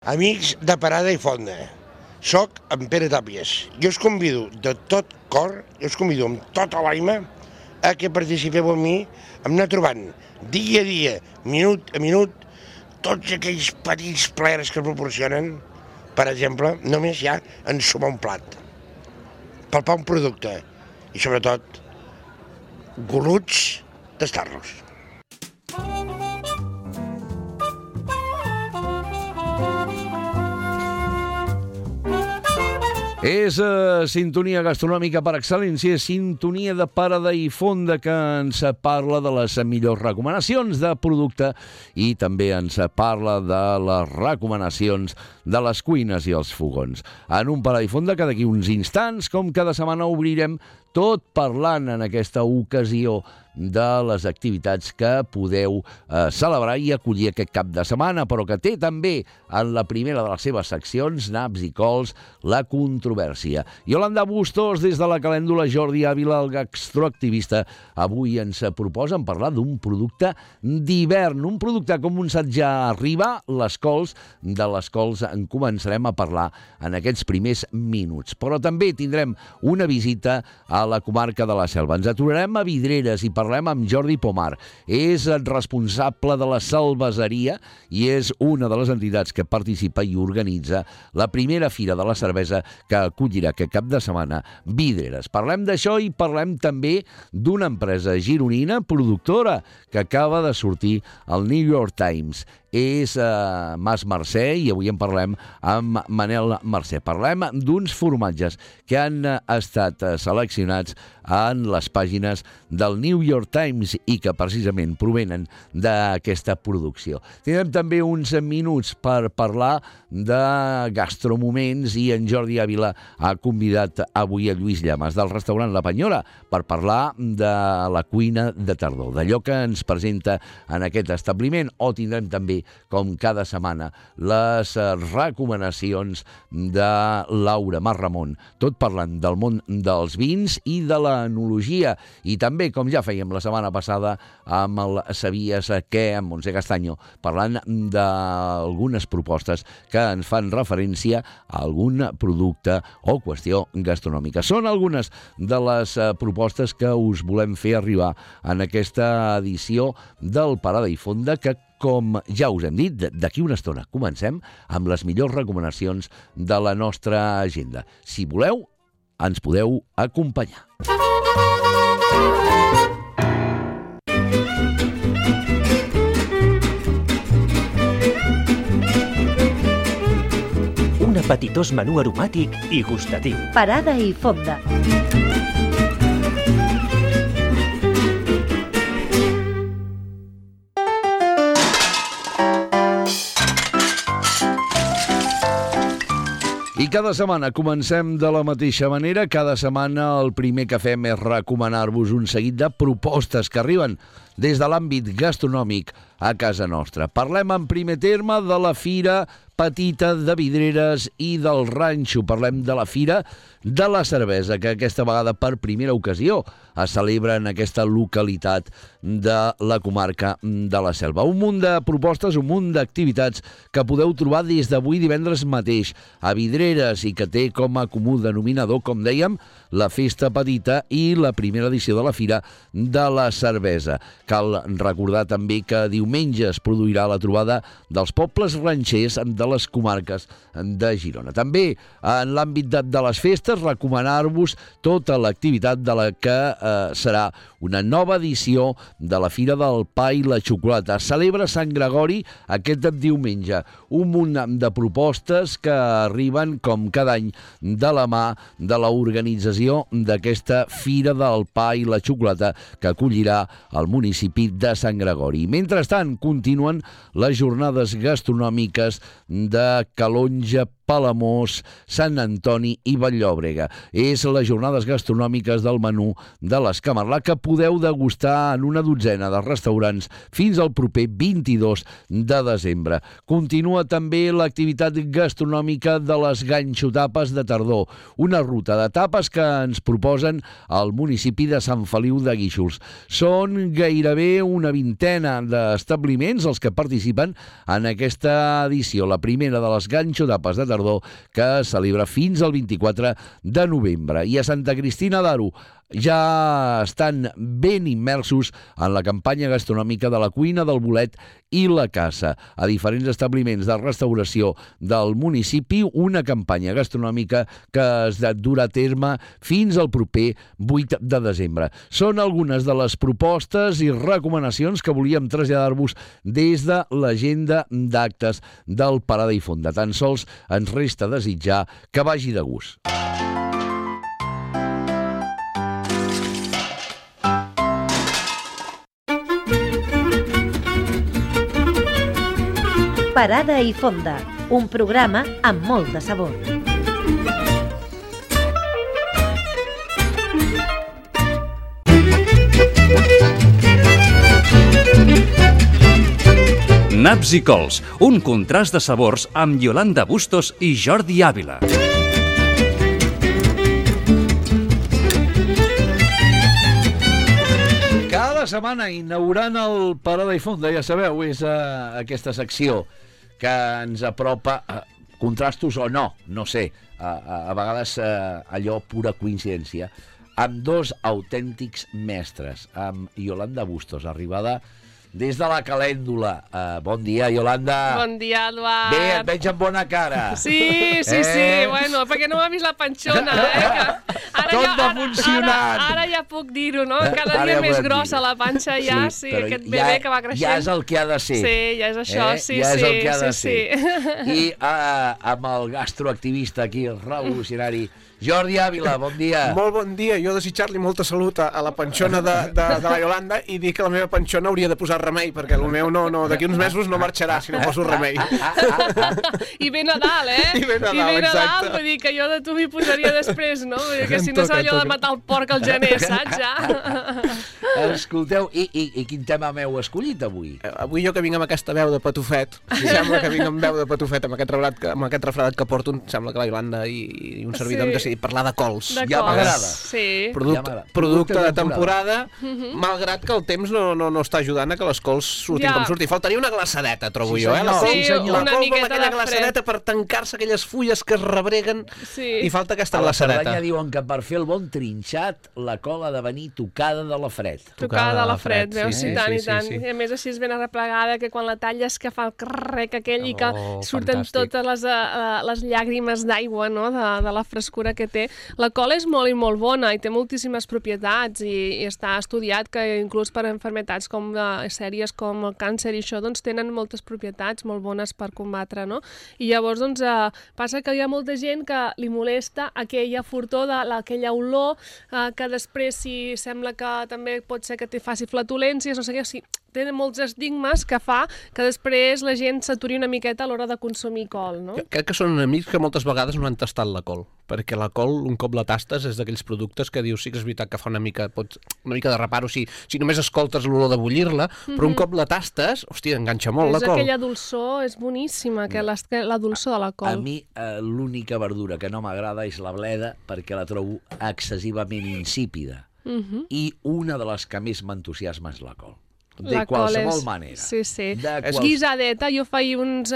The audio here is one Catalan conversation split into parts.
Amics de Parada i Fonda, soc en Pere Tàpies. Jo us convido de tot cor, jo us convido amb tota l'ànima a que participeu amb mi, a anar trobant dia a dia, minut a minut, tots aquells petits plaers que proporcionen, per exemple, només ja ensumar un plat, palpar un producte i sobretot goluts tastar-los. És sintonia gastronòmica per excel·lència, sintonia de Parada i Fonda, que ens parla de les millors recomanacions de producte i també ens parla de les recomanacions de les cuines i els fogons. En un Parada i Fonda que d'aquí uns instants, com cada setmana, obrirem tot parlant en aquesta ocasió de les activitats que podeu celebrar i acollir aquest cap de setmana, però que té també en la primera de les seves seccions, naps i cols, la controvèrsia. Iolanda Bustos, des de la calèndula, Jordi Ávila, el gastroactivista, avui ens proposen parlar d'un producte d'hivern, un producte, com un saig ja arriba, les cols. De les cols en començarem a parlar en aquests primers minuts. Però també tindrem una visita a la comarca de la Selva. Ens aturarem a Vidreres i parlem amb Jordi Pomar. És responsable de la cerveseria i és una de les entitats que participa i organitza la primera fira de la cervesa que acollirà aquest cap de setmana Vidreres. Parlem d'això i parlem també d'una empresa gironina productora que acaba de sortir al New York Times. És Mas Mercè i avui en parlem amb Manel Mercè. Parlem d'uns formatges que han estat seleccionats en les pàgines del New York Times i que precisament provenen d'aquesta producció. Tindrem també uns minuts per parlar de gastromoments i en Jordi Ávila ha convidat avui a Lluís Llamas del restaurant La Penyora per parlar de la cuina de tardor, d'allò que ens presenta en aquest establiment, o tindrem també, com cada setmana, les recomanacions de Laura Marramon, tot parlant del món dels vins i de l'enologia, i també, com ja fèiem la setmana passada amb el Sabies què, amb Montse Castanyo, parlant d'algunes propostes que ens fan referència a algun producte o qüestió gastronòmica. Són algunes de les propostes que us volem fer arribar en aquesta edició del Parada i Fonda, que, com ja us hem dit, d'aquí una estona comencem amb les millors recomanacions de la nostra agenda. Si voleu, ens podeu acompanyar. Un apetitós menú aromàtic i gustatiu. Parada i Fonda. I cada setmana comencem de la mateixa manera. Cada setmana el primer que fem és recomanar-vos un seguit de propostes que arriben des de l'àmbit gastronòmic a casa nostra. Parlem en primer terme de la Fira Petita de Vidreres i del Ranxo. Parlem de la Fira de la Cervesa, que aquesta vegada per primera ocasió es celebra en aquesta localitat de la comarca de la Selva. Un munt de propostes, un munt d'activitats que podeu trobar des d'avui divendres mateix a Vidreres i que té com a comú denominador, com dèiem, la Festa Petita i la primera edició de la Fira de la Cervesa. Cal recordar també que diumenge es produirà la trobada dels pobles ranxers de les comarques de Girona. També en l'àmbit de les festes, recomanar-vos tota l'activitat de la que serà una nova edició de la Fira del Pa i la Xocolata. Celebra Sant Gregori aquest diumenge. Un munt de propostes que arriben, com cada any, de la mà de l'organització d'aquesta Fira del Pa i la Xocolata que acollirà el municipi de Sant Gregori. Mentrestant, continuen les jornades gastronòmiques de Calonge Palamós, Sant Antoni i Vall-llobrega. És les jornades gastronòmiques del menú de l'Escamarlà que podeu degustar en una dotzena de restaurants fins al proper 22 de desembre. Continua també l'activitat gastronòmica de les ganxotapes de tardor, una ruta de tapes que ens proposen al municipi de Sant Feliu de Guíxols. Són gairebé una vintena d'establiments els que participen en aquesta edició, la primera de les ganxotapes de tardor que es celebra fins al 24 de novembre. I a Santa Cristina d'Aro ja estan ben immersos en la campanya gastronòmica de la cuina del bolet i la caça. A diferents establiments de restauració del municipi, una campanya gastronòmica que es durà a terme fins al proper 8 de desembre. Són algunes de les propostes i recomanacions que volíem traslladar-vos des de l'agenda d'actes del Parada i Fonda. Tan sols ens resta desitjar que vagi de gust. Parada i Fonda, un programa amb molt de sabor. Naps i cols, un contrast de sabors amb Yolanda Bustos i Jordi Ávila. Cada setmana inaugurant el Parada i Fonda, ja sabeu, és aquesta secció que ens apropa, contrastos o no, no sé, a vegades allò pura coincidència, amb dos autèntics mestres, amb Yolanda Bustos, arribada des de la Calèndula. Bon dia, Yolanda. Bon dia, Eduard. Bé, et veig amb bona cara. Sí, bueno, perquè no m'ha vist la panxona, que tot va funcionant. Ara ja puc dir-ho, no? Cada dia més grossa la panxa ja, sí, aquest bebè que va creixent. Ja és el que ha de ser. Sí, ja és això, sí. Ja és el que ha de ser. I amb el gastroactivista aquí, el revolucionari, Jordi Ávila, bon dia. Molt bon dia. Jo desitjar-li molta salut a la panxona de la Yolanda i dir que la meva panxona hauria de posar remei, perquè el meu d'aquí uns mesos no marxarà si no poso remei. I ve Nadal, I ve Nadal, exacte. Vull dir que jo de tu m'hi posaria després, no? Vull dir que si no serà allò de matar el porc al gener, saps, ja? Escolteu, i quin tema m'heu escollit avui? Avui jo que vinc amb aquesta veu de patufet, sembla que vinc amb veu de patufet, amb aquest refredat que porto, sembla que la Yolanda i un servidor hem decidit parlar de cols. Ja m'agrada. Sí. Producte de temporada, malgrat que el temps no està ajudant a que les cols surtin com surtin. Faltaria una glaçadeta, trobo jo, la col vol aquella glaçadeta per tancar-se aquelles fulles que es rebreguen i falta aquesta glaçadeta. A la Cerdanya diuen que per fer el bon trinxat la col ha de venir tocada de la fred. Tocada de la fred, veus? I tant, i tant. I a més així és ben arreplegada, que quan la talles que fa el crrec aquell i que surten totes les llàgrimes d'aigua, no?, de la frescura que té. La col és molt i molt bona i té moltíssimes propietats i està estudiat que inclús per malalties com sèries com el càncer i això, doncs tenen moltes propietats molt bones per combatre, no? I llavors, doncs, passa que hi ha molta gent que li molesta aquella fortor d'aquella olor que després si sembla que també pot ser que faci flatulències, no sé què, sí, tenen molts estigmes que fa que després la gent s'aturi una miqueta a l'hora de consumir col, no? Crec que són amics que moltes vegades no han tastat la col, perquè la col, un cop la tastes, és d'aquells productes que dius, sí que és veritat que fa una mica de reparo si només escoltes l'olor de bullir-la, però un cop la tastes, hòstia, enganxa molt la col. És aquella dolçor, és boníssima, la dolçor de la col. A mi l'única verdura que no m'agrada és la bleda, perquè la trobo excessivament insípida. I una de les que més m'entusiasma és la col. De qualsevol manera. Sí. És guisadeta. Jo faig uns...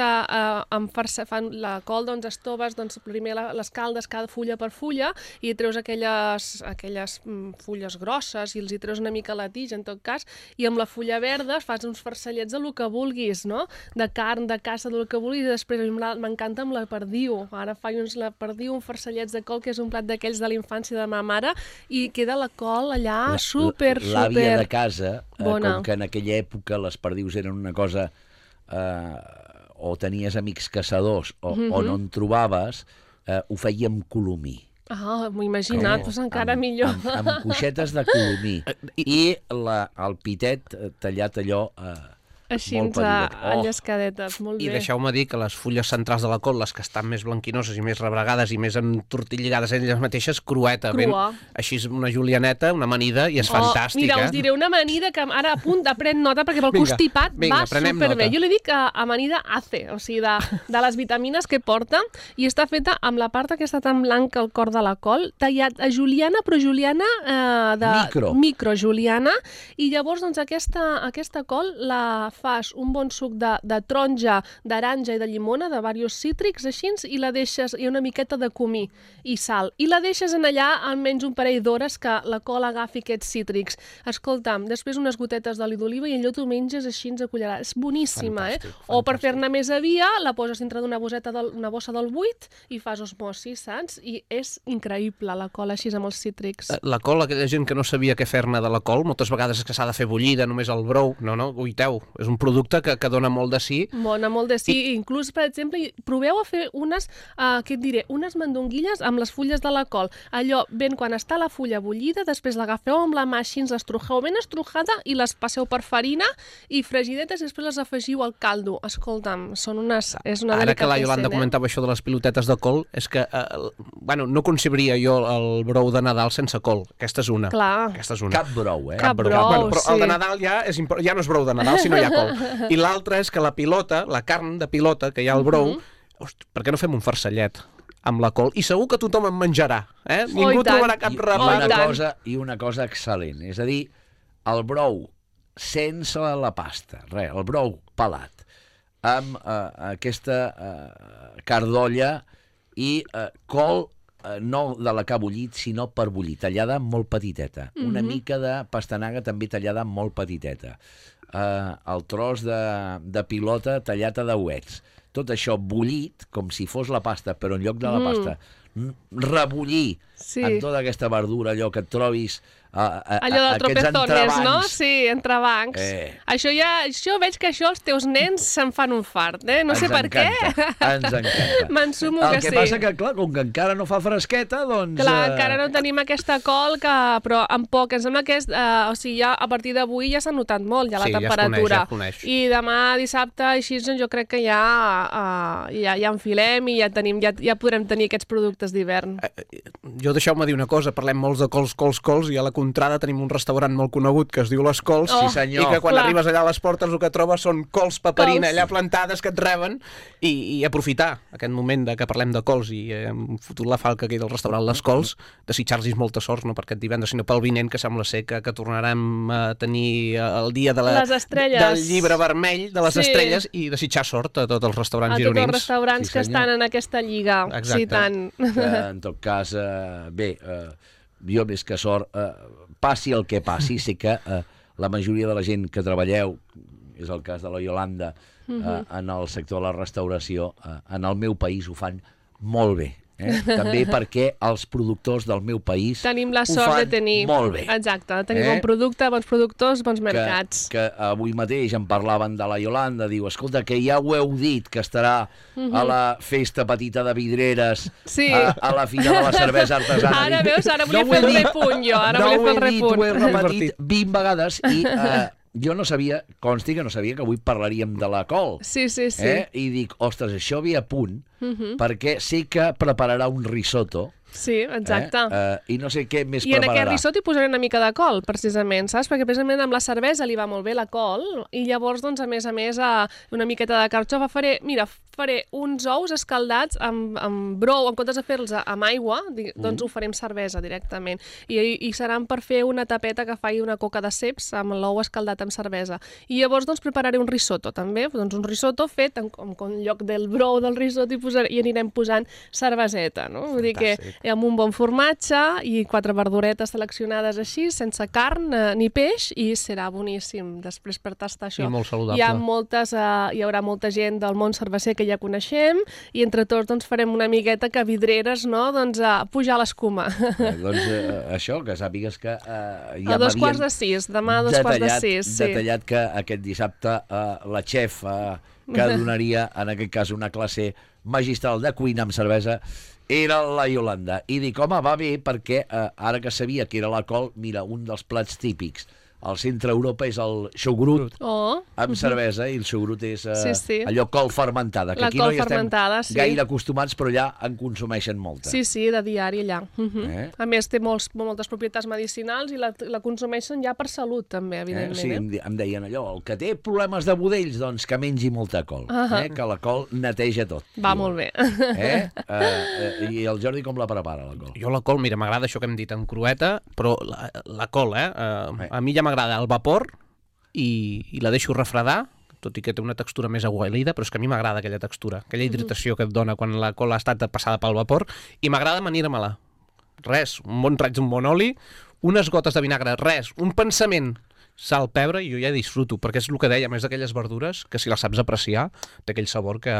fan la col, doncs, estoves, doncs, primer les caldes cada fulla per fulla i treus aquelles fulles grosses i els hi treus una mica la tija, en tot cas, i amb la fulla verda fas uns farcellets de lo que vulguis, no? De carn, de caça, de lo que vulguis, i després m'encanta amb la perdiu. Ara faig la perdiu, uns farcellets de col, que és un plat d'aquells de la infància de ma mare, i queda la col allà super... L'àvia de casa, bona. Com que en aquella època les perdius eren una cosa o tenies amics caçadors o no en trobaves, ho feia amb colomí. M'ho he imaginat, doncs encara millor. Amb cuixetes de colomí. I el pitet tallat allò... així molt petitet. enllescadetes, molt bé. I deixeu-me dir que les fulles centrals de la col, les que estan més blanquinoses i més rebregades i més entortillades elles mateixes, crueta. Crua. Així és una julianeta, una amanida, i és fantàstica. Mira, us diré una amanida que ara a punt de pren nota perquè pel Vinga, constipat va prenem superbé. nota. Jo li dic amanida ACE, o sigui, de les vitamines que porta, i està feta amb la part aquesta tan blanca al cor de la col, tallat a juliana, però juliana micro juliana, i llavors doncs aquesta col la fas un bon suc de taronja, d'aranja i de llimona, de diversos cítrics, així, i la deixes, i una miqueta de comí i sal, i la deixes en allà almenys un parell d'hores que la col agafi aquests cítrics. Escolta'm, després unes gotetes d'oli d'oliva i allò t'ho menges així a cullerada. És boníssima, fantàstic. O per fer-ne més avia, la poses dintre d'una bossa del buit i fas osmosi, saps? I és increïble la col així amb els cítrics. La col, aquella gent que no sabia què fer-ne de la col, moltes vegades és que s'ha de fer bullida, només el brou. No, guiteu, és un producte que dona molt de sí. Dona molt de sí. Inclús, per exemple, proveu a fer unes mandonguilles amb les fulles de la col. Allò, ben quan està la fulla bullida, després l'agafeu amb la mà així, l'estrujeu ben estrujada i les passeu per farina i fregidetes i després les afegiu al caldo. Escolta'm, és una delicatessen. Ara que la Iolanda comentava això de les pilotetes de col, és que, no concebiria jo el brou de Nadal sense col. Aquesta és una. Clar. Aquesta és una. Cap brou, Cap brou, però el de Nadal ja no és brou de Nadal, sinó hi ha col. I l'altre és que la pilota, la carn de pilota, que hi ha al brou, per què no fem un farcellet amb la col? I segur que tothom en menjarà. Ningú trobarà cap repat. I una cosa excel·lent, és a dir, el brou sense la pasta, el brou pelat, amb aquesta cardolla i col no de la que ha bullit, sinó per bullir, tallada molt petiteta. Una mica de pastanaga també tallada molt petiteta. El tros de pilota tallat a dauets. Tot això bullit, com si fos la pasta, però en lloc de la pasta, rebullir amb tota aquesta verdura, allò que et trobis allò de tropezones, no? Sí, entrebancs. Això veig que els teus nens se'n fan un fart, no sé per què. Ens encanta. M'ensumo que sí. El que passa que, clar, com que encara no fa fresqueta, doncs... Clar, encara no tenim aquesta col, però amb poc. Em sembla que ja a partir d'avui ja s'ha notat molt, ja la temperatura. Ja es coneix. I demà dissabte, així, jo crec que ja enfilem i ja podrem tenir aquests productes d'hivern. Jo deixeu-me dir una cosa, parlem molts de cols, i a la contrada tenim un restaurant molt conegut que es diu Les Cols, i que quan arribes allà a les portes el que trobes són cols paperina allà plantades que et reben, i aprofitar aquest moment que parlem de cols i hem fotut la falca aquí del restaurant Les Cols, desitjar-los molta sort, no per aquest divendres, sinó pel vinent, que sembla ser que tornarem a tenir el dia del llibre vermell de les estrelles, i desitjar sort a tots els restaurants gironins. A tots els restaurants que estan en aquesta lliga. Sí, tant. En tot cas, jo més que sort, passi el que passi, sé que la majoria de la gent que treballeu, és el cas de la Iolanda, en el sector de la restauració, en el meu país ho fan molt bé. També perquè els productors del meu país tenim la sort de tenir molt bé. Exacte, de tenir bon producte, bons productors, bons mercats. Que avui mateix em parlaven de la Iolanda, diu, escolta, que ja ho heu dit, que estarà a la festa petita de Vidreres, a la Fira de la Cervesa Artesana. Ara veus, ara volia fer el repunt jo, ho he repetit 20 vegades i... Jo no sabia, consti que no sabia que avui parlaríem de la col. Sí. I dic, ostres, això ve a punt, perquè sé que prepararà un risotto. Sí, exacte. I no sé què més prepararà. I en aquest risotto hi posaré una mica de col, precisament, saps? Perquè precisament amb la cervesa li va molt bé la col, i llavors, doncs, a més, una miqueta de carxofa faré uns ous escaldats amb brou, en comptes de fer-los amb aigua, doncs ho faré amb cervesa directament. I seran per fer una tapeta que faci una coca de ceps amb l'ou escaldat amb cervesa. I llavors, doncs, prepararé un risotto, també. Doncs un risotto fet, en lloc del brou del risotto, hi anirem posant cerveseta, no? Vull dir que amb un bon formatge i 4 verduretes seleccionades així, sense carn ni peix, i serà boníssim després per tastar això. I molt saludable. Hi haurà molta gent del món cerveser que ja coneixem, i entre tots doncs, farem una miqueta que Vidreres, no?, doncs, pujar l'escuma. Doncs això, que sàpigues que ja a 5:45, demà a 5:45. Detallat que aquest dissabte la xef que donaria, en aquest cas, una classe magistral de cuina amb cervesa era la Iolanda. I dic, home, va bé, perquè ara que sabia que era la col, mira, un dels plats típics al centre Europa és el xogrut amb cervesa, i el xogrut és allò col fermentada, que aquí no hi estem gaire acostumats, però allà en consumeixen molta. Sí, de diari allà. A més, té moltes propietats medicinals i la consumeixen ja per salut, també, evidentment. Sí, em deien allò, el que té problemes de budells, doncs que mengi molta col, que la col neteja tot. Va molt bé. I el Jordi com la prepara, la col? Jo la col, mira, m'agrada això que hem dit en crueta, però la col, a mi ja m'agrada al vapor i la deixo refredar, tot i que té una textura més aigualida, però és que a mi m'agrada aquella textura, aquella hidratació que et dona quan la col ha estat passada pel vapor, i m'agrada amanir-me-la. Res, un bon raig d'un bon oli, unes gotes de vinagre, res, un pensament, sal, pebre, i jo ja disfruto, perquè és el que deia, a més d'aquelles verdures, que si les saps apreciar, té aquell sabor que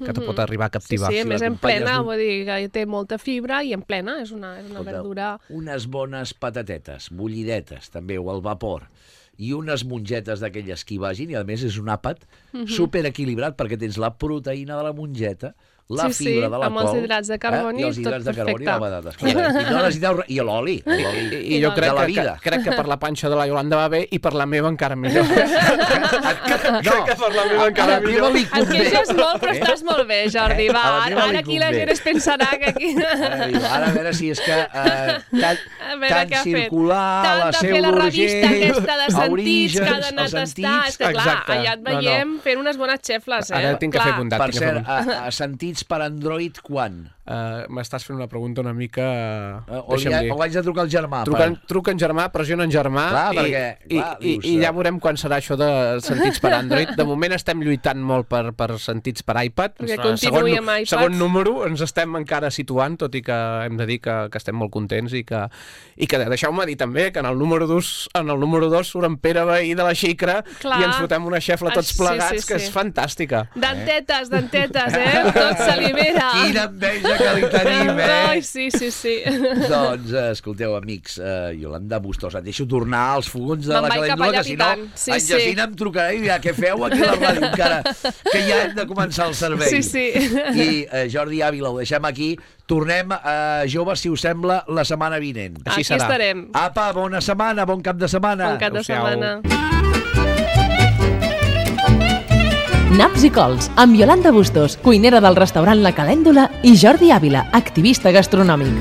te pot arribar a captivar. Sí, a més en plena, vull dir que té molta fibra i en plena, és una verdura... Unes bones patatetes, bullidetes, també, o al vapor, i unes mongetes d'aquelles que hi vagin, i a més és un àpat superequilibrat, perquè tens la proteïna de la mongeta, la fibra de la col... amb els hidrats de carboni, tot perfecte. I l'oli. I jo crec que per la panxa de la Iolanda va bé i per la meva encara millor. Crec que per la meva encara millor. Et queixes molt, però estàs molt bé, Jordi. Va, ara aquí la gent es pensarà que aquí... Ara a veure si és que tant circular, la seu la revista aquesta de sentits, que ha d'anar a tastar. És que clar, allà et veiem fent unes bones xefles. Ara tinc que fer bondat. Per cert, a sentits per Android quan? M'estàs fent una pregunta una mica... O haig de trucar al germà? Truca en germà, pressiona en germà, i ja veurem quan serà això de sentits per Android. De moment estem lluitant molt per sentits per iPad. Perquè continuï amb iPad. Segon número, ens estem encara situant, tot i que hem de dir que estem molt contents i que deixeu-me dir també que en el número 2 surt en Pere Veí de la Xicra i ens fotem una xefla tots plegats, que és fantàstica. Dentetes, tot s'alibera. Quina enveja que li tenim, Ai, sí. Doncs, escolteu, amics, Iolanda Bustos, et deixo tornar als fogons de la calèndula, que si no, en Jacint em trucarà i dirà, què feu aquí a la ràdio encara, que ja hem de començar el servei. Sí. I Jordi Ávila, ho deixem aquí. Tornem a Joves, si us sembla, la setmana vinent. Així serà. Aquí estarem. Apa, bona setmana, bon cap de setmana. Bon cap de setmana. Naps i cols, amb Iolanda Bustos, cuinera del restaurant La Calèndula, i Jordi Ávila, activista gastronòmic.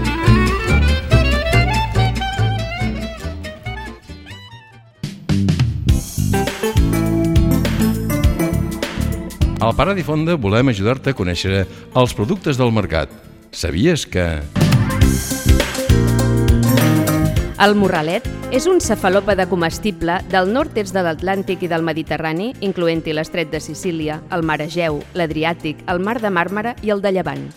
Al Parar i Fonda volem ajudar-te a conèixer els productes del mercat. Sabies que... El morralet és un cefalòpode comestible del nord-est de l'Atlàntic i del Mediterrani, incloent-hi l'estret de Sicília, el mar Egeu, l'Adriàtic, el mar de Màrmara i el de Llevant.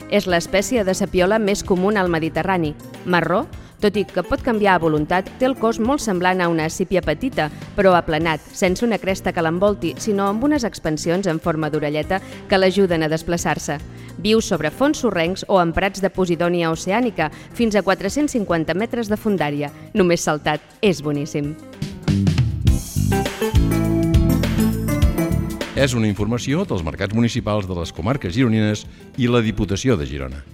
És l'espècie de sapiola més comuna al Mediterrani. Marró, tot i que pot canviar a voluntat, té el cos molt semblant a una sípia petita, però aplanat, sense una cresta que l'envolti, sinó amb unes expansions en forma d'orelleta que l'ajuden a desplaçar-se. Viu sobre fons sorrencs o en prats de posidònia oceànica, fins a 450 metres de fondària. Només saltat, és boníssim. És una informació dels mercats municipals de les comarques gironines i la Diputació de Girona.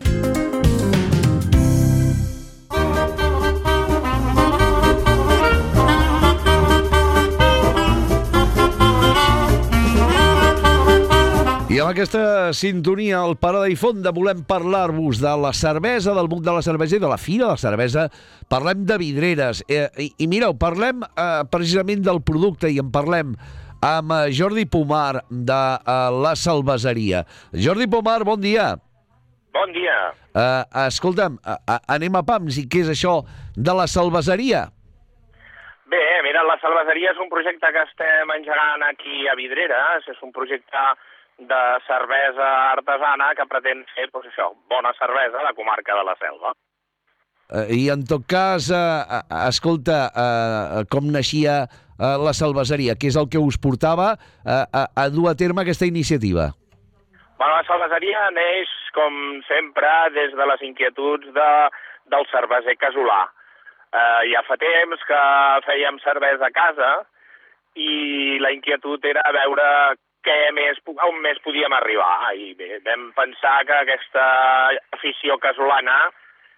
I amb aquesta sintonia al Parada i Fonda volem parlar-vos de la cervesa, del món de la cervesa i de la Fira de la Cervesa. Parlem de vidreres. I mireu, parlem precisament del producte i en parlem amb Jordi Pomar de la Cerveseria. Jordi Pomar, bon dia. Bon dia. Escolta'm, anem a pams. I què és això de la Cerveseria? Bé, mira, la Cerveseria és un projecte que estem engegant aquí a Vidreres. És un projecte de cervesa artesana que pretén fer, doncs això, bona cervesa a la comarca de la Selva. I en tot cas, escolta, com naixia la Cerveseria? Què és el que us portava a dur a terme aquesta iniciativa? Bueno, la Cerveseria neix, com sempre, des de les inquietuds del cerveser casolà. Ja fa temps que fèiem cervesa a casa i la inquietud era veure on més podíem arribar. I bé, vam pensar que aquesta afició casolana,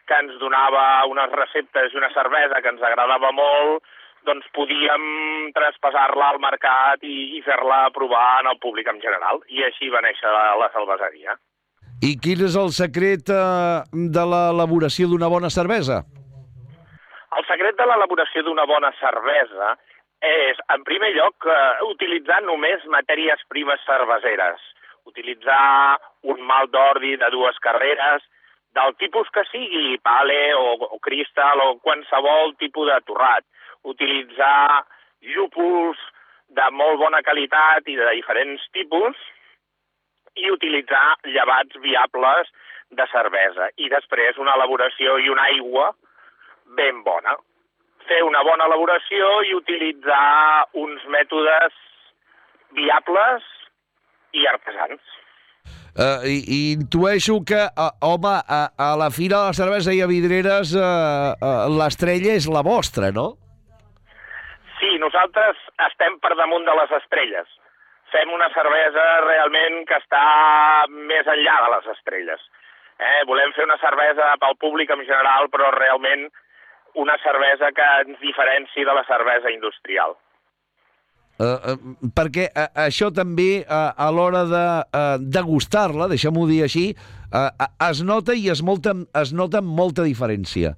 que ens donava unes receptes i una cervesa que ens agradava molt, doncs podíem traspassar-la al mercat i fer-la provar en el públic en general. I així va néixer la cerveseria. I quin és el secret de l'elaboració d'una bona cervesa? El secret de l'elaboració d'una bona cervesa és, en primer lloc, utilitzar només matèries primes cerveseres. Utilitzar un malt d'ordi de 2 carreres, del tipus que sigui, pale o cristal o qualsevol tipus de torrat. Utilitzar llúpols de molt bona qualitat i de diferents tipus i utilitzar llevats viables de cervesa. I després una elaboració i una aigua ben bona. Fer una bona elaboració i utilitzar uns mètodes viables i artesans. I intueixo que, home, a la Fira de la Cervesa i a Vidreres l'estrella és la vostra, no? Sí, nosaltres estem per damunt de les estrelles. Fem una cervesa realment que està més enllà de les estrelles. Volem fer una cervesa pel públic en general, però realment una cervesa que ens diferenci de la cervesa industrial. Perquè això també, a l'hora de degustar-la, deixem-ho dir així, es nota i es nota molta diferència.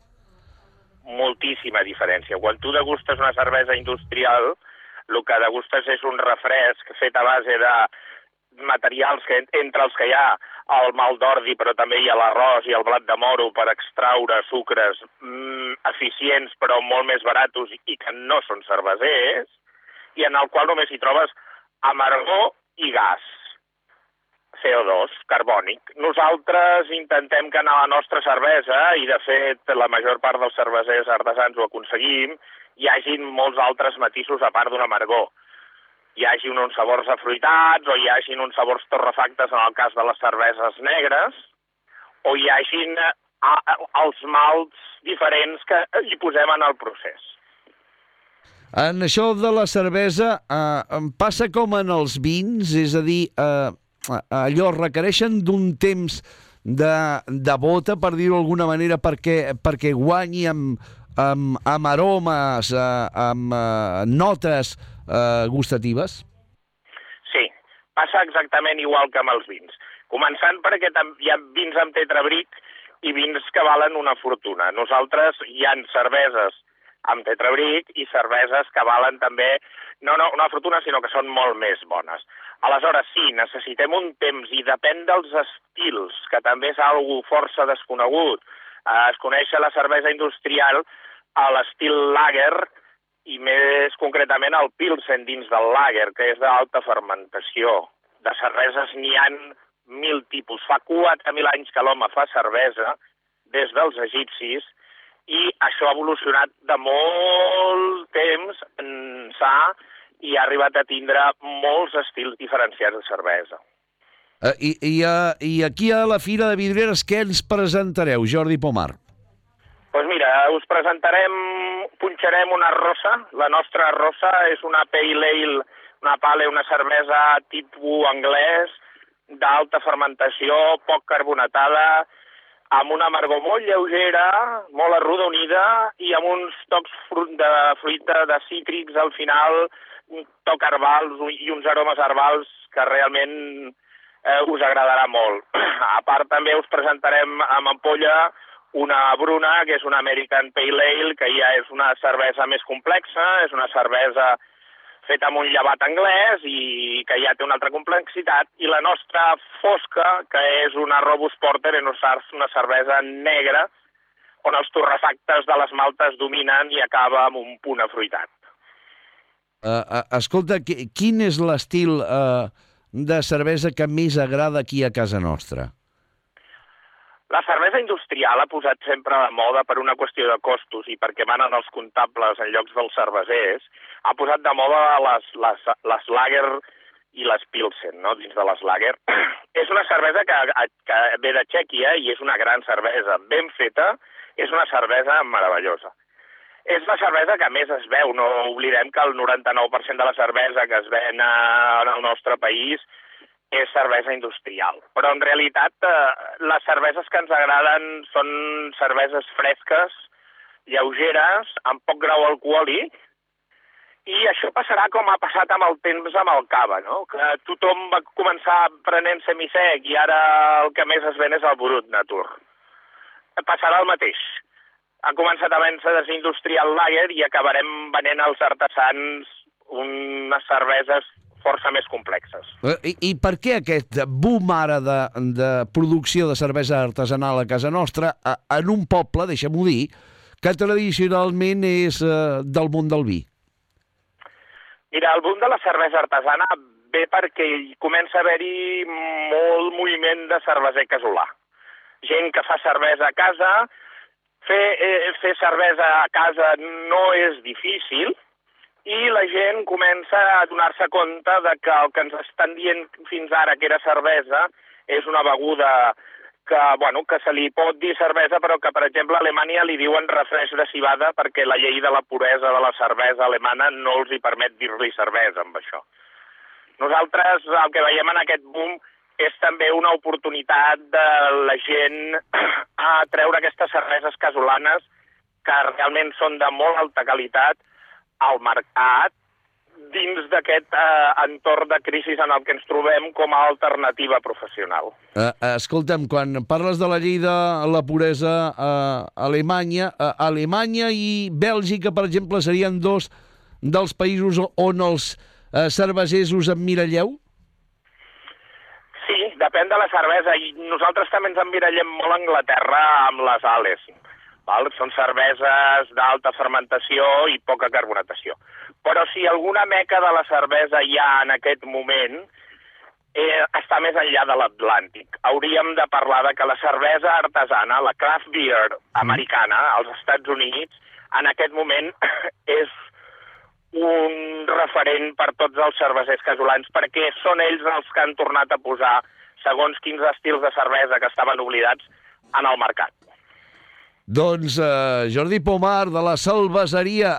Moltíssima diferència. Quan tu degustes una cervesa industrial, el que degustes és un refresc fet a base de materials entre els que hi ha el malt d'ordi, però també hi ha l'arròs i el blat de moro per extraure sucres eficients però molt més baratos i que no són cervesers, i en el qual només hi trobes amargor i gas, CO2, carbònic. Nosaltres intentem que en la nostra cervesa, i de fet la major part dels cervesers artesans ho aconseguim, hi hagin molts altres matisos a part d'un amargor. Hi hagin uns sabors afruitats, o hi hagin uns sabors torrefactes en el cas de les cerveses negres, o hi hagin els malts diferents que hi posem en el procés. En això de la cervesa passa com en els vins, és a dir, allò requereixen d'un temps de bota, per dir-ho d'alguna manera, perquè guanyi amb aromes, amb notes gustatives? Sí, passa exactament igual que amb els vins. Començant perquè hi ha vins amb tetrabric i vins que valen una fortuna. Nosaltres hi ha cerveses amb tetrabric i cerveses que valen també, no una fortuna, sinó que són molt més bones. Aleshores, sí, necessitem un temps i depèn dels estils, que també és algo força desconegut. Es coneix la cervesa industrial a l'estil lager i més concretament el pilsen dins del lager, que és d'alta fermentació. De cerveses n'hi ha 1.000 tipus. Fa 4.000 anys que l'home fa cervesa, des dels egipcis, i això ha evolucionat de molt temps ençà i ha arribat a tindre molts estils diferenciats de cervesa. I aquí a la Fira de Vidreres què ens presentareu, Jordi Pomar? Doncs mira, us punxarem una rosa. La nostra rosa és una pale ale, una cervesa tipus anglès, d'alta fermentació, poc carbonatada, amb una amargor molt lleugera, molt arrodonida i amb uns tocs de fruita, de cítrics al final, un toc herbals i uns aromes herbals que realment us agradarà molt. A part també us presentarem amb ampolla una bruna, que és una American Pale Ale, que ja és una cervesa més complexa, és una cervesa feta amb un llevat anglès i que ja té una altra complexitat, i la nostra fosca, que és una Robust Porter, és una cervesa negra, on els torrefactes de les maltes dominen i acaba amb un punt afruitat. Escolta, quin és l'estil de cervesa que més agrada aquí a casa nostra? La cervesa industrial ha posat sempre de moda per una qüestió de costos i perquè manen els comptables en llocs dels cervesers, ha posat de moda les lager i les pilsen, no?, dins de les lager. És una cervesa que ve de Txèquia i és una gran cervesa. Ben feta, és una cervesa meravellosa. És la cervesa que més es veu. No oblidem que el 99% de la cervesa que es ven en el nostre país és cervesa industrial. Però en realitat les cerveses que ens agraden són cerveses fresques, lleugeres, amb poc grau alcohòlic I això passarà com ha passat amb el temps amb el cava, no? Que tothom va començar prenent semisec i ara el que més es ven és el brut natur. Passarà el mateix. Ha començat a vèncer desindustrial lager i acabarem venent als artesans unes cerveses força més complexes. I per què aquest boom ara de producció de cervesa artesanal a casa nostra en un poble, deixem-ho dir, que tradicionalment és del món del vi? Mira, el boom de la cervesa artesana ve perquè comença a haver-hi molt moviment de cerveser casolà. Gent que fa cervesa a casa, fer cervesa a casa no és difícil i la gent comença a donar-se compte de que el que ens estan dient fins ara que era cervesa és una beguda que se li pot dir cervesa, però que, per exemple, a Alemanya li diuen refresc de civada perquè la llei de la puresa de la cervesa alemana no els hi permet dir-li cervesa amb això. Nosaltres el que veiem en aquest boom és també una oportunitat de la gent a treure aquestes cerveses casolanes que realment són de molt alta qualitat al mercat dins d'aquest entorn de crisi en el que ens trobem com a alternativa professional. Escolta'm, quan parles de la llei de la puresa a Alemanya i Bèlgica, per exemple, serien dos dels països on els cervesers us emmiralleu? Sí, depèn de la cervesa. I nosaltres també ens emmirallem molt a Anglaterra amb les ales. Són cerveses d'alta fermentació i poca carbonatació. Però si alguna meca de la cervesa hi ha en aquest moment, està més enllà de l'Atlàntic. Hauríem de parlar de que la cervesa artesana, la craft beer americana, als Estats Units, en aquest moment és un referent per tots els cervesers casolans, perquè són ells els que han tornat a posar segons quins estils de cervesa que estaven oblidats en el mercat. Doncs, Jordi Pomar, de la Cerveseria,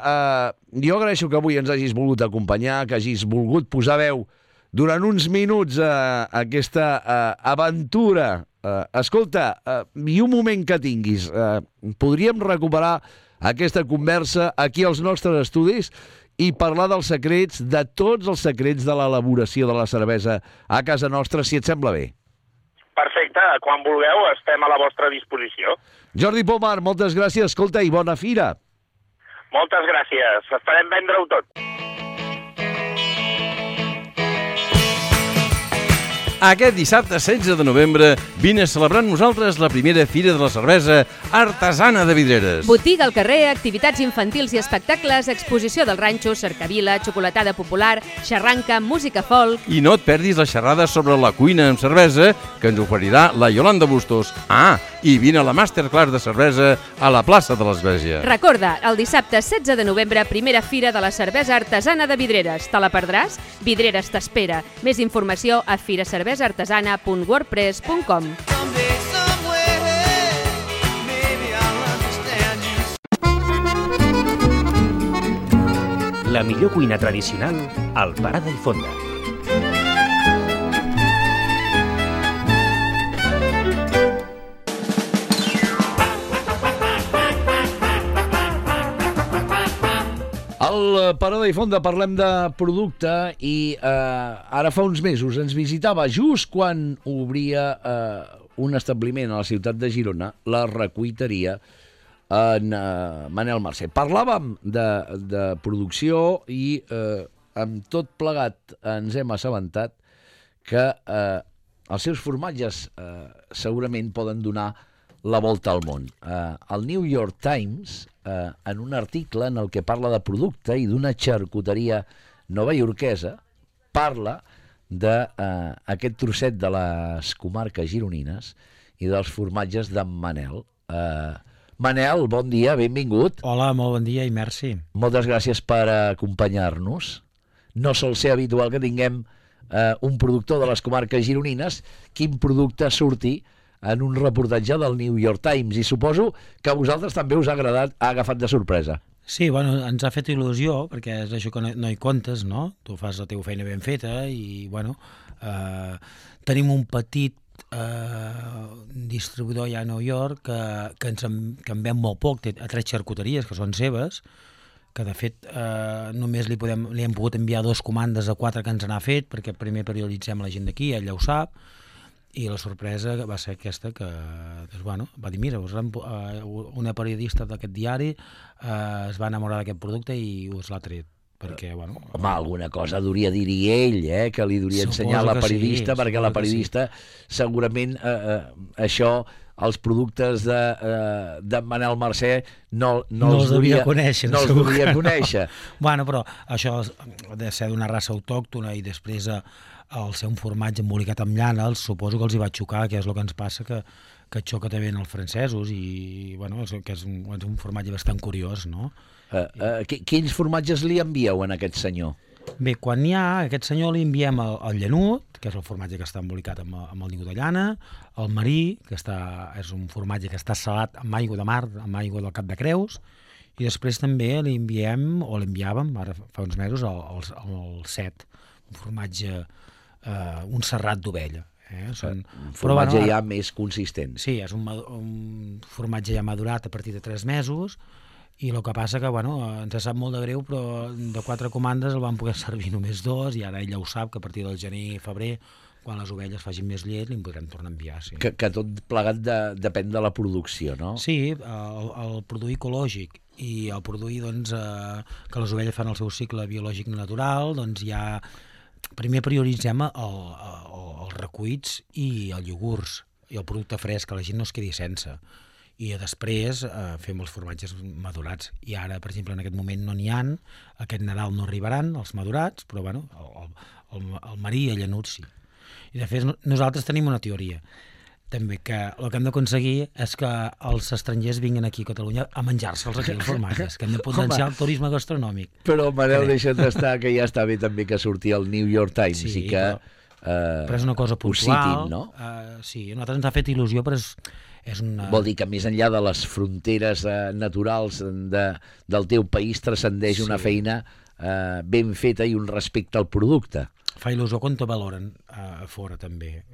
jo agraeixo que avui ens hagis volgut acompanyar, que hagis volgut posar veu durant uns minuts a aquesta aventura. Escolta, i un moment que tinguis, podríem recuperar aquesta conversa aquí als nostres estudis i parlar dels secrets, de tots els secrets de l'elaboració de la cervesa a casa nostra, si et sembla bé. Perfecte, quan vulgueu estem a la vostra disposició. Jordi Pomar, moltes gràcies, escolta, i bona fira. Moltes gràcies, esperem vendre-ho tot. Aquest dissabte 16 de novembre vine a celebrar amb nosaltres la primera Fira de la Cervesa Artesana de Vidreres. Botiga al carrer, activitats infantils i espectacles, exposició del ranxo, cercavila, xocolatada popular, xarranca, música folk... I no et perdis la xerrada sobre la cuina amb cervesa que ens oferirà la Yolanda Bustos. I vine a la masterclass de cervesa a la plaça de l'Església. Recorda, el dissabte 16 de novembre, primera Fira de la Cervesa Artesana de Vidreres. Te la perdràs? Vidreres t'espera. Més informació a firacervesaartesana.wordpress.com. La millor cuina tradicional al Parada i Fonda. Al Parada i Fonda parlem de producte i ara fa uns mesos ens visitava just quan obria un establiment a la ciutat de Girona, la Recuiteria, en Manel Mercè. Parlàvem de producció i amb tot plegat ens hem assabentat que els seus formatges segurament poden donar la volta al món. El New York Times, en un article en el que parla de producte i d'una xarcuteria novaiorquesa, parla d'aquest trosset de les comarques gironines i dels formatges d'en Manel. Manel, bon dia, benvingut. Hola, molt bon dia i merci. Moltes gràcies per acompanyar-nos. No sol ser habitual que tinguem un productor de les comarques gironines. Quin producte surti en un reportatge del New York Times, i suposo que a vosaltres també us ha agafat de sorpresa. Sí, bueno, ens ha fet il·lusió, perquè és això que no hi comptes, no? Tu fas la teva feina ben feta i, bueno, tenim un petit distribuïdor ja a New York que en ven molt poc, té 3 xarcuteries que són seves, que de fet només li hem pogut enviar 2 comandes a 4 que ens n'ha fet, perquè primer prioritzem la gent d'aquí, ella ho sap, i la sorpresa va ser aquesta que doncs, bueno, va dir, mira, una periodista d'aquest diari es va enamorar d'aquest producte i us l'ha tret. Perquè, bueno... Home, alguna cosa hauria dir ell, que li hauria ensenyar la periodista, perquè la periodista segurament això, els productes de Manel Mercè no els devia conèixer. Bueno, però això ha de ser d'una raça autòctona i després el ser un formatge embolicat amb llana, suposo que els hi va xocar, que és el que ens passa, que xoca també en els francesos i bueno, que és un formatge bastant curiós, no? Quins formatges li envieu a aquest senyor? Bé, quan n'hi ha, a aquest senyor li enviem el llanut, que és el formatge que està embolicat amb el niu de llana, el marí, que és un formatge que està salat amb aigua de mar, amb aigua del Cap de Creus, i després també li enviem, o l'enviàvem, ara fa uns mesos, el set, un formatge, un serrat d'ovella. Un formatge ja més consistent. Sí, és un formatge ja madurat a partir de 3 mesos, i el que passa que, bueno, ens sap molt de greu, però de 4 comandes el van poder servir només 2, i ara ella ho sap, que a partir del gener i febrer, quan les ovelles facin més llet, li podrem tornar a enviar, sí. Que tot plegat depèn de la producció, no? Sí, el produir ecològic i el produir, doncs, que les ovelles fan el seu cicle biològic natural, doncs ja... Primer prioritzem els recuits i els iogurts, i el producte fresc, que la gent no es quedi sense. I després fem els formatges madurats. I ara, per exemple, en aquest moment no n'hi ha, aquest Nadal no arribaran els madurats, però bueno, el marí i el llanut sí. I de fet nosaltres tenim una teoria, també, que el que hem d'aconseguir és que els estrangers vinguin aquí a Catalunya a menjar-se'ls aquí els formatges, que hem de potenciar el turisme gastronòmic. Però, Manel, deixa't d'estar, que ja està bé també que surti el New York Times i que però és una cosa puntual, no? Sí, a nosaltres ens ha fet il·lusió, però és una... Vol dir que més enllà de les fronteres naturals del teu país transcendeix una feina ben feta i un respecte al producte. Fa il·lusió quan te valoren a fora també.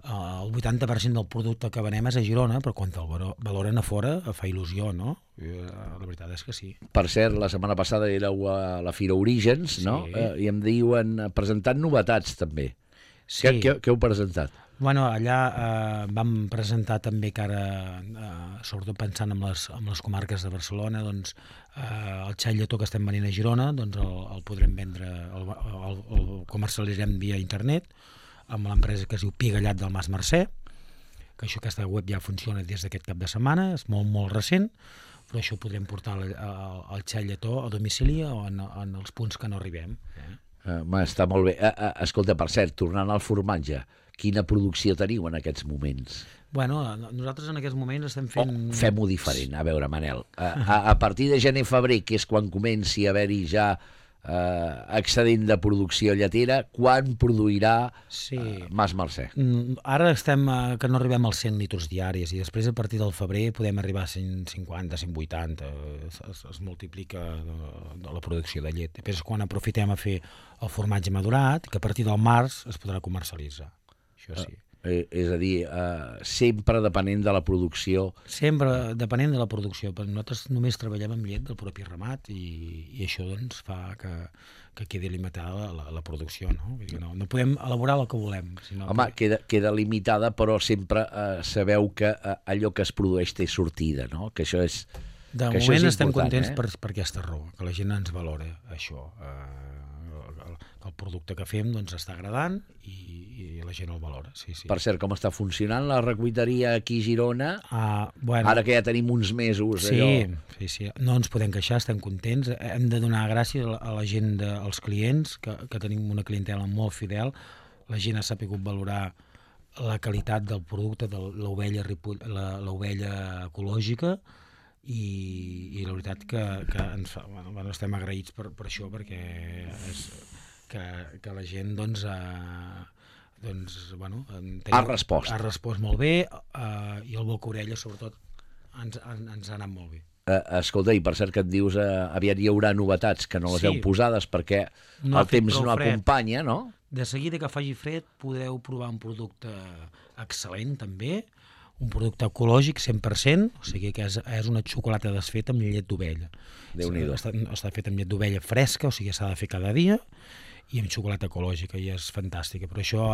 El 80% del producte que venem és a Girona, però quan el valoren a fora fa il·lusió, no? La veritat és que sí. Per cert, la setmana passada éreu a la Fira Orígens, no? I em diuen presentant novetats també. Sí. Què heu presentat? Bueno, allà vam presentar també que ara, sobretot pensant en les comarques de Barcelona, doncs el xai lletó que estem venint a Girona, doncs el podrem vendre, el comercialitzarem via internet, amb l'empresa que es diu Pigallat del Mas Mercè, que aquesta web ja funciona des d'aquest cap de setmana, és molt, molt recent, però això ho podrem portar al xai lletó a domicili o en els punts que no arribem. Està molt bé. Escolta, per cert, tornant al formatge, quina producció teniu en aquests moments? Bueno, nosaltres en aquests moments estem fent... Fem-ho diferent, a veure, Manel. A partir de gener-febrer, que és quan comenci a haver-hi ja excedent de producció lletera, quan produirà Mas Mercè? Ara estem que no arribem als 100 litres diaris i després a partir del febrer podem arribar a 150, 180, es multiplica la producció de llet. Després quan aprofitem a fer el formatge madurat, que a partir del març es podrà comercialitzar. Això sí. És a dir, sempre depenent de la producció. Sempre depenent de la producció, però nosaltres només treballem amb llet del propi ramat i això doncs fa que quedi limitada la producció, no? Vull dir, no podem elaborar el que volem. Home, queda limitada, però sempre sabeu que allò que es produeix té sortida, no? Que això és de moment estem contents per aquesta raó, que la gent ens valora això, que el producte que fem doncs està agradant i la gent el valora, sí. Per cert, com està funcionant la recuiteria aquí a Girona? Bueno, ara que ja tenim uns mesos. Sí, no ens podem queixar, estem contents. Hem de donar gràcies a la gent, als clients, que tenim una clientela molt fidel. La gent ha sapigut valorar la qualitat del producte de l'ovella ecològica i la veritat que estem agraïts per això, perquè que la gent doncs ha respost molt bé i el boca-orella sobretot ens ha anat molt bé. Escolta, i per cert que et dius aviat hi haurà novetats que no les heu posades perquè el temps no acompanya, no? De seguida que faci fred podreu provar un producte excel·lent també, un producte ecològic 100%, o sigui que és una xocolata desfeta amb llet d'ovella. Déu-n'hi-do. Està fet amb llet d'ovella fresca, o sigui s'ha de fer cada dia, i amb xocolata ecològica, i és fantàstica. Però això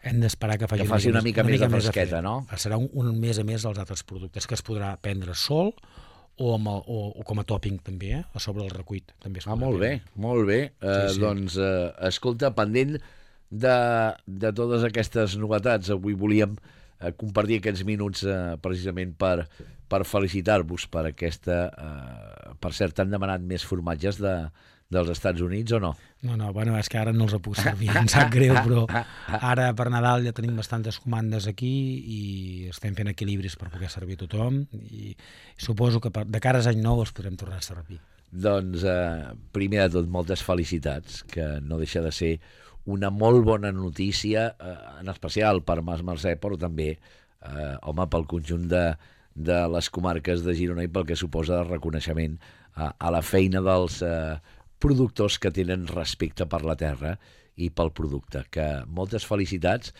hem d'esperar que faci una mica més de fresqueta, no? Serà un més a més dels altres productes, que es podrà prendre sol o com a tòping també, a sobre el recuit. També molt bé, molt bé. Doncs, escolta, pendent de totes aquestes novetats, avui volíem compartir aquests minuts precisament per felicitar-vos per aquesta... Per cert, t'han demanat més formatges dels Estats Units o no? No, bueno, és que ara no els puc servir, em sap greu, però ara per Nadal ja tenim bastantes comandes aquí i estem fent equilibris per poder servir a tothom i suposo que de cara a any nou els podrem tornar a servir. Doncs, primer de tot, moltes felicitats, que no deixa de ser una molt bona notícia, en especial per Mas Mercè, però també, home, pel conjunt de les comarques de Girona i pel que suposa el reconeixement a la feina dels productors que tenen respecte per la terra i pel producte. Que moltes felicitats.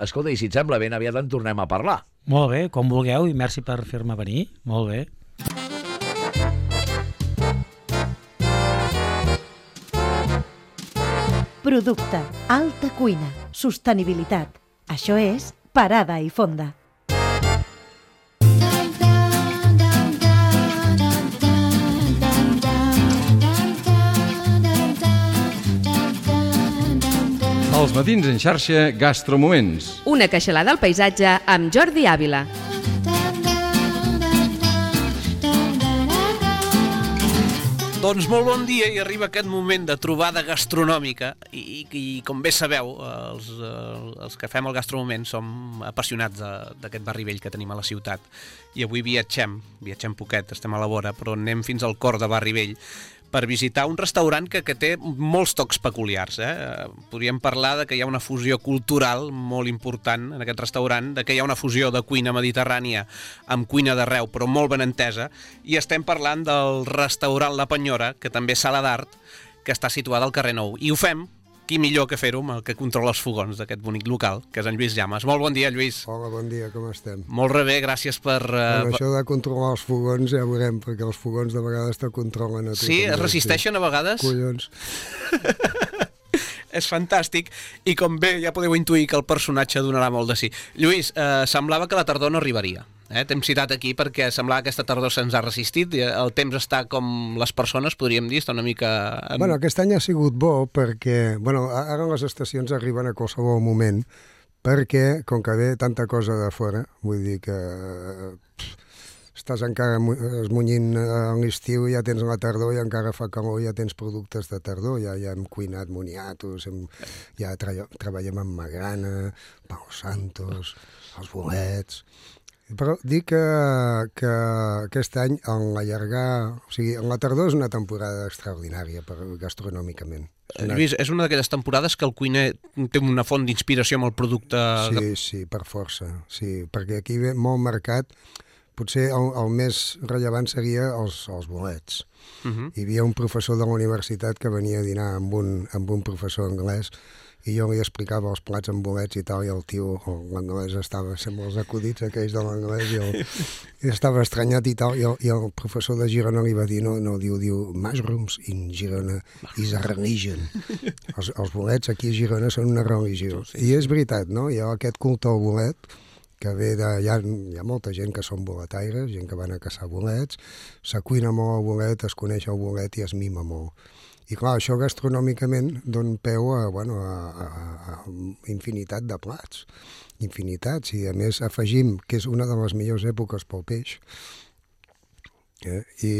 Escolta, i si et sembla ben aviat en tornem a parlar. Molt bé, com vulgueu, i merci per fer-me venir. Molt bé. Producte, alta cuina, sostenibilitat. Això és Parada i Fonda. Els matins en xarxa Gastromoments. Una queixalada al paisatge amb Jordi Ávila. Doncs molt bon dia i arriba aquest moment de trobada gastronòmica i com bé sabeu, els que fem el Gastromoment som apassionats d'aquest barri vell que tenim a la ciutat i avui viatgem poquet, estem a la vora, però anem fins al cor de Barri Vell per visitar un restaurant que té molts tocs peculiars. Podríem parlar de que hi ha una fusió cultural molt important en aquest restaurant, de que hi ha una fusió de cuina mediterrània amb cuina d'arreu, però molt ben entesa, i estem parlant del restaurant La Penyora, que també és sala d'art, que està situada al carrer Nou. I ho fem, qui millor que fer-ho amb el que controla els fogons d'aquest bonic local, que és en Lluís Llamas. Molt bon dia, Lluís. Hola, bon dia, com estem? Molt bé, gràcies per... Això de controlar els fogons ja ho veurem, perquè els fogons de vegades te controlen a tu. Sí, es resisteixen a vegades? Collons. És fantàstic, i com bé ja podeu intuir que el personatge donarà molt de sí. Lluís, semblava que la tardor no arribaria. T'hem citat aquí perquè semblava que aquesta tardor se'ns ha resistit, el temps està com les persones, podríem dir, està una mica... Bueno, aquest any ha sigut bo perquè, ara les estacions arriben a qualsevol moment, perquè, com que ve tanta cosa de fora, vull dir que estàs encara esmunyint a l'estiu, ja tens la tardor i encara fa calor, ja tens productes de tardor, ja hem cuinat moniatos, ja treballem amb magrana, Palo Santos, els bolets... Però dic que aquest any, en la tardor és una temporada extraordinària gastronòmicament. Lluís, és una d'aquelles temporades que el cuiner té una font d'inspiració amb el producte... Sí, per força, sí, perquè aquí ve molt marcat. Potser el més rellevant seria els bolets. Hi havia un professor de la universitat que venia a dinar amb un professor anglès i jo li explicava els plats amb bolets i tal, i el tio, l'anglès estava sempre els acudits aquells de l'anglès i estava estranyat i tal, i el professor de Girona li va dir, diu mushrooms in Girona is a religion. Els bolets aquí a Girona són una religió. I és veritat, no? Hi ha aquest culte al bolet que ve de... Hi ha molta gent que són boletaires, gent que van a caçar bolets, s'acuina molt el bolet, es coneix el bolet i es mima molt. I clar, això gastronòmicament dona peu a infinitat de plats, infinitats, i a més afegim que és una de les millors èpoques pel peix, i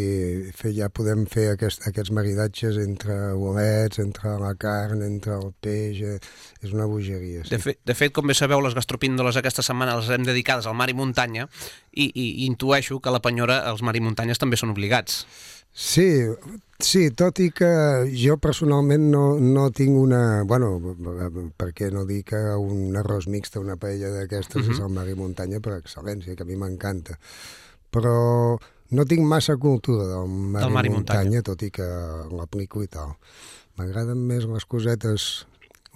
ja podem fer aquests maridatges entre bolets, entre la carn, entre el peix, és una bogeria. Sí. De fet, com bé sabeu, les gastropíndoles aquesta setmana les hem dedicades al mar i muntanya, i intueixo que a la Penyora els mar i muntanyes també són obligats. Sí, tot i que jo personalment no tinc una... per què no dir que un arròs mixt, una paella d'aquestes és el mar i muntanya per excel·lència, que a mi m'encanta. Però no tinc massa cultura del mar i muntanya, tot i que l'aplico i tal. M'agraden més les cosetes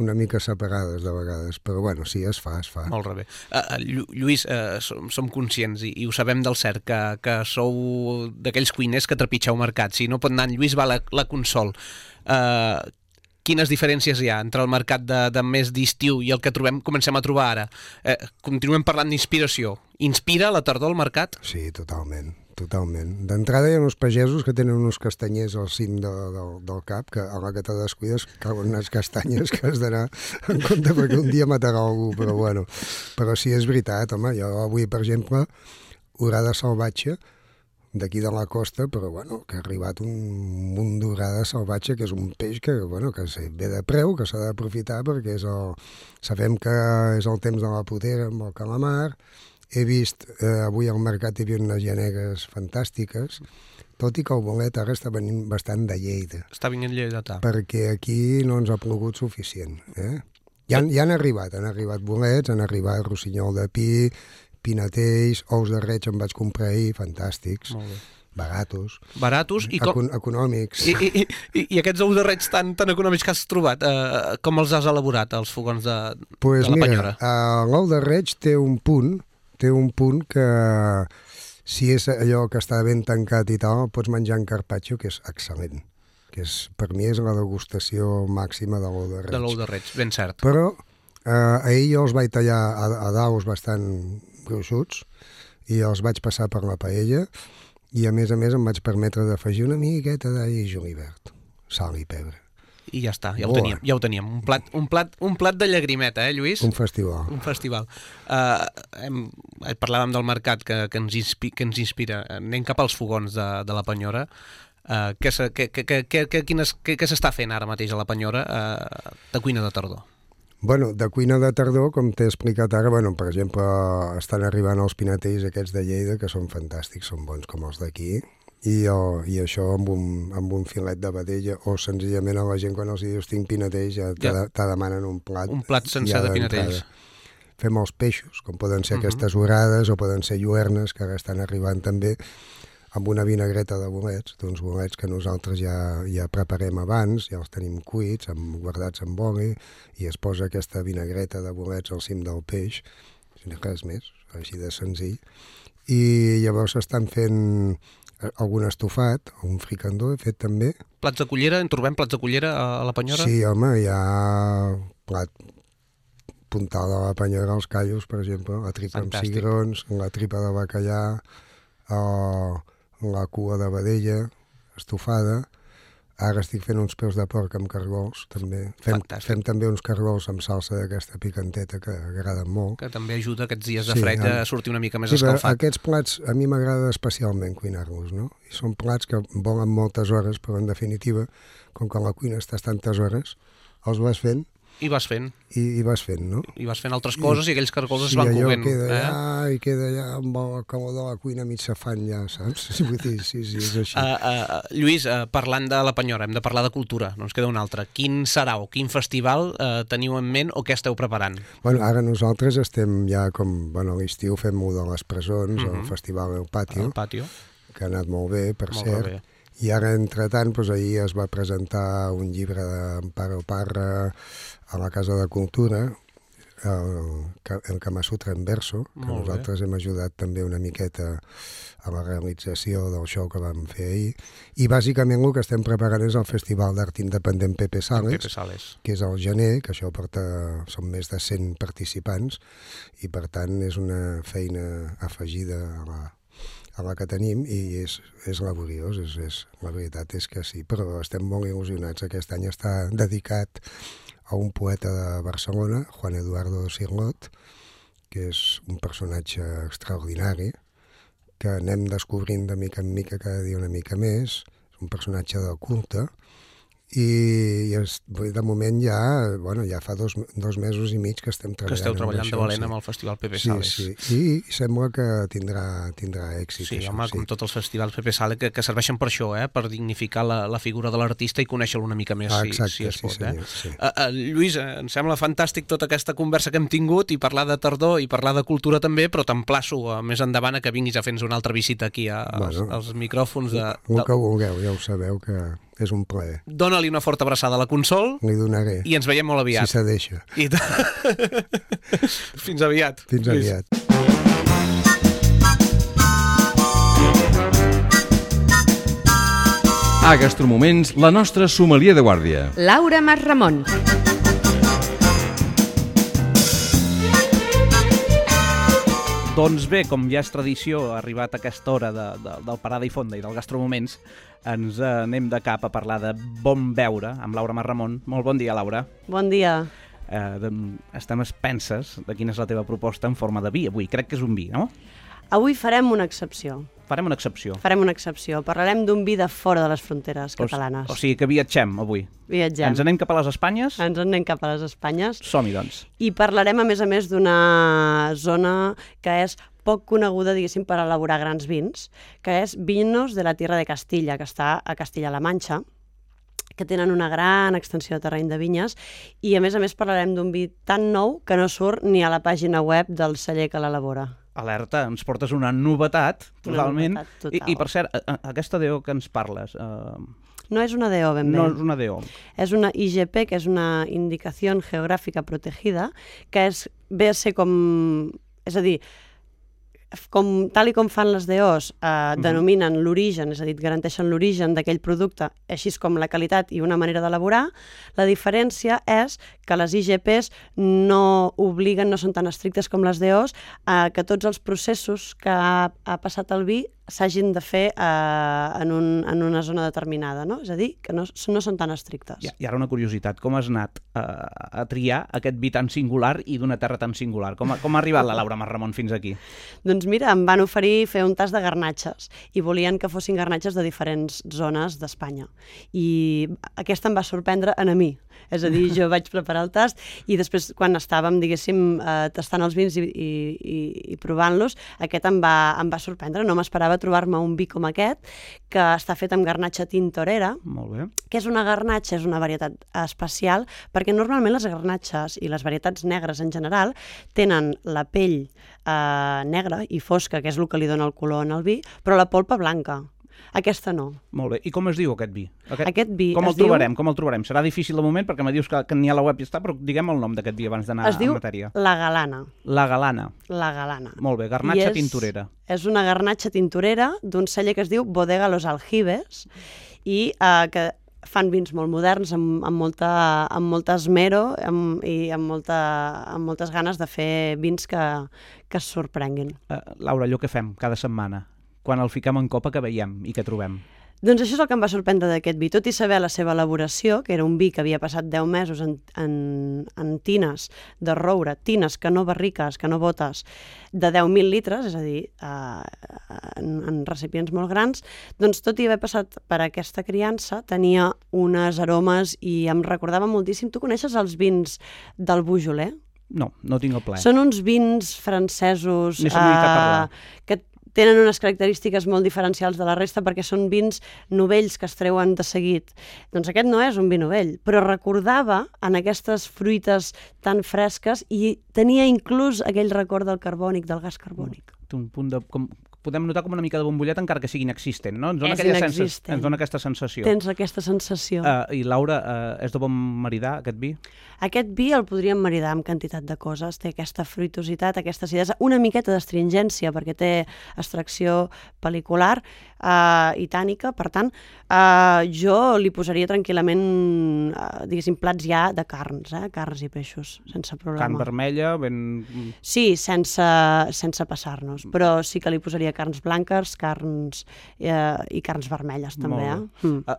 una mica separades de vegades, però bueno, sí, es fa. Molt bé. Lluís, som conscients i ho sabem del cert que sou d'aquells cuiners que trepitgeu mercat. Si no pot anar en Lluís, va la Consol. Quines diferències hi ha entre el mercat de més d'estiu i el que comencem a trobar ara? Continuem parlant d'inspiració. Inspira la tardor al mercat? Sí, totalment. D'entrada hi ha uns pagesos que tenen uns castanyers al cim del cap, que a la que te descuides cauen unes castanyes que has d'anar en compte perquè un dia matarà algú, però bueno. Però sí, és veritat, home, jo avui, per exemple, orada salvatge, d'aquí de la costa, però bueno, que ha arribat un munt d'orada salvatge, que és un peix que ve de preu, que s'ha d'aprofitar perquè sabem que és el temps de la potera amb el calamar. He vist, avui al mercat hi havia unes llanegues fantàstiques, tot i que el bolet ara està venint bastant de Lleida. Està venint lleidatà. Perquè aquí no ens ha plogut suficient. Ja han arribat bolets, han arribat rossinyol de pi, pinetells, ous de reig em vaig comprar ahir, fantàstics. Molt bé. Baratos i econòmics. I aquests ous de reig tan econòmics que has trobat, com els has elaborat, els fogons de la Penyora? L'ou de reig té un punt que si és allò que està ben tancat i tal, pots menjar en carpaccio, que és excel·lent. Per mi és la degustació màxima de l'ou de reig. De l'ou de reig, ben cert. Però ahir jo els vaig tallar a daus bastant gruixuts i els vaig passar per la paella i a més em vaig permetre d'afegir una miqueta d'all i julivert, sal i pebre. I ja està, ja ho teníem. Un plat de llagrimeta, Lluís? Un festival. Parlàvem del mercat que ens inspira. Anem cap als fogons de la Penyora. Què s'està fent ara mateix a la Penyora de cuina de tardor? Bueno, de cuina de tardor, com t'he explicat ara, per exemple, estan arribant els pinetells aquests de Lleida, que són fantàstics, són bons com els d'aquí, i això amb un filet de vedella, o senzillament a la gent quan els dius tinc pinetells ja te demanen un plat. Un plat sencer de pinetells. Fem els peixos, com poden ser aquestes orades o poden ser lluernes, que ara estan arribant també, amb una vinagreta de bolets, d'uns bolets que nosaltres ja preparem abans, ja els tenim cuits, guardats amb oli, i es posa aquesta vinagreta de bolets al cim del peix, res més, així de senzill. I llavors estan fent algun estofat, un fricandó he fet també. Plats de cullera, en trobem plats de cullera a la Penyora? Sí, home, hi ha plat puntal de la Penyora, els callos, per exemple, la tripa amb cigrons, la tripa de bacallà, la cua de vedella, estofada. Ara estic fent uns peus de porc amb cargols, també. Fem també uns cargols amb salsa d'aquesta picanteta que agraden molt. Que també ajuda aquests dies de fred a sortir una mica més escalfat. Aquests plats a mi m'agrada especialment cuinar-los, no? I són plats que volen moltes hores, però en definitiva, com que a la cuina estàs tantes hores, els vas fent. I vas fent. I vas fent, no? I vas fent altres coses i aquells cargols es van coent. I queda allà amb el calor de la cuina mig safant ja, saps? Vull dir, sí, és així. Lluís, parlant de la Penyora, hem de parlar de cultura, no ens queda un altre. Quin serà o quin festival teniu en ment o què esteu preparant? Bueno, ara nosaltres estem ja com, a l'estiu fem de les presons, el festival El Patio, que ha anat molt bé, per cert. I ara, entretant, ahir es va presentar un llibre d'Amparo Parra a la Casa de Cultura, el Kama Sutra en verso, que nosaltres hem ajudat també una miqueta a la realització del show que vam fer ahir. I bàsicament el que estem preparant és el Festival d'Art Independent Pepe Sales, que és al gener, que això són més de 100 participants, i per tant és una feina afegida a la que tenim i és laboriós, la veritat és que sí, però estem molt il·lusionats. Aquest any està dedicat a un poeta de Barcelona, Juan Eduardo Cirlot, que és un personatge extraordinari, que anem descobrint de mica en mica cada dia una mica més, és un personatge de culte, i de moment ja fa dos mesos i mig que estem treballant. Que esteu treballant de valent amb el Festival Pepe Sales. Sí, i sembla que tindrà èxit. Sí, home, com tots els festivals Pepe Sales que serveixen per això, per dignificar la figura de l'artista i conèixer-lo una mica més, si es pot. Lluís, em sembla fantàstic tota aquesta conversa que hem tingut i parlar de tardor i parlar de cultura també, però t'emplaço més endavant a que vinguis a fer-nos una altra visita aquí als micròfons. El que vulgueu, ja ho sabeu que és un plaer. Dóna-li una forta abraçada a la Consol. Li donaré. I ens veiem molt aviat. Si se deixa. Fins aviat. Fins aviat. A Gastromoments, la nostra sommelier de guàrdia. Laura Masramon. Doncs bé, com ja és tradició, ha arribat a aquesta hora del Parada i Fonda i del Gastromoments, ens anem de cap a parlar de bon beure amb Laura Masramon. Molt bon dia, Laura. Bon dia. Estem expenses de quina és la teva proposta en forma de vi avui. Crec que és un vi, no? Avui farem una excepció. Farem una excepció. Farem una excepció. Parlarem d'un vi de fora de les fronteres catalanes. O sigui que viatgem avui. Viatgem. Ens anem cap a les Espanyes? Ens anem cap a les Espanyes. Som-hi, doncs. I parlarem, a més, d'una zona que és poc coneguda, diguéssim, per elaborar grans vins, que és Vinos de la Tierra de Castilla, que està a Castilla-La Manxa, que tenen una gran extensió de terreny de vinyes, i a més parlarem d'un vi tan nou que no surt ni a la pàgina web del celler que l'elabora. Alerta, ens portes una novetat, totalment. Una novetat total. I per cert, aquesta DO que ens parles... No és una DO, ben bé. No és una DO. És una IGP, que és una Indicació Geogràfica Protegida, que ve a ser com... És a dir, tal com fan les DOs, denominen l'origen, és a dir, garanteixen l'origen d'aquell producte, així com la qualitat i una manera d'elaborar. La diferència és que les IGPs no obliguen, no són tan estrictes com les DOs, que tots els processos que ha passat el vi s'hagin de fer en una zona determinada, no? És a dir, que no són tan estrictes. I ara una curiositat, com has anat a triar aquest vi tan singular i d'una terra tan singular? Com ha arribat la Laura Masramon fins aquí? Doncs mira, em van oferir fer un tast de garnatges i volien que fossin garnatges de diferents zones d'Espanya. I aquesta em va sorprendre a mi. És a dir, jo vaig preparar el tast i després, quan estàvem, diguéssim, tastant els vins i provant-los, aquest em va sorprendre. No m'esperava trobar-me un vi com aquest, que està fet amb garnatxa tintorera. Molt bé. Que és una garnatxa, és una varietat especial, perquè normalment les garnatxes i les varietats negres en general tenen la pell negra i fosca, que és el que li dona el color en el vi, però la polpa blanca. Aquesta no. Molt bé. I com es diu aquest vi? Aquest vi com el trobarem? Com el trobarem? Serà difícil de moment perquè me dius que ni a la web hi està, però diguem el nom d'aquest vi abans d'anar a matèria. Es diu La Galana. La Galana. La Galana. Molt bé, garnatxa tintorera. És una garnatxa tintorera d'un celler que es diu Bodega Los Aljibes i que fan vins molt moderns, amb molta esmero i amb moltes ganes de fer vins que es sorprenguin. Laura, allò que fem cada setmana, quan el fiquem en copa, que veiem i que trobem? Doncs això és el que em va sorprendre d'aquest vi. Tot i saber la seva elaboració, que era un vi que havia passat 10 mesos en tines de roure, tines que no barriques, que no botes, de 10.000 litres, és a dir, en recipients molt grans, doncs tot i haver passat per aquesta criança, tenia unes aromes i em recordava moltíssim. Tu coneixes els vins del Beaujolais? No, no tinc el plaer. Són uns vins francesos que tenen unes característiques molt diferencials de la resta perquè són vins novells que es treuen de seguit. Doncs aquest no és un vi novell, però recordava en aquestes fruites tan fresques i tenia inclús aquell record del carbònic, del gas carbònic. Un punt de... Podem notar com una mica de bombollet encara que sigui inexistent, no? Ens dona aquesta sensació. Tens aquesta sensació. I Laura, és de bon maridar aquest vi? Aquest vi el podríem maridar amb quantitat de coses. Té aquesta fruitositat, aquesta acidesa, una miqueta d'astringència perquè té extracció pel·licular i tànica. Per tant, jo li posaria tranquil·lament, diguéssim, plats ja de carns, carns i peixos, sense problema. Carn vermella, ben... Sí, sense passar-nos, però sí que li posaria carns blanques, carns i carns vermelles també.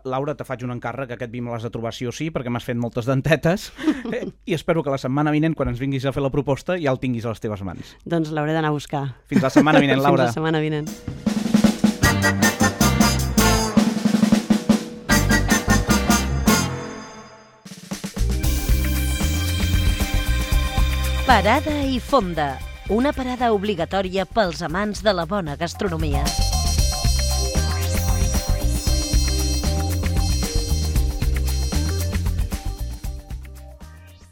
Laura, te faig un encàrrec, aquest vi me l'has de trobar sí o sí, perquè m'has fet moltes dentetes i espero que la setmana vinent, quan ens vinguis a fer la proposta, ja el tinguis a les teves mans. Doncs l'hauré d'anar a buscar. Fins la setmana vinent, Laura. Fins la setmana vinent. Parada i fonda. Una parada obligatòria pels amants de la bona gastronomia.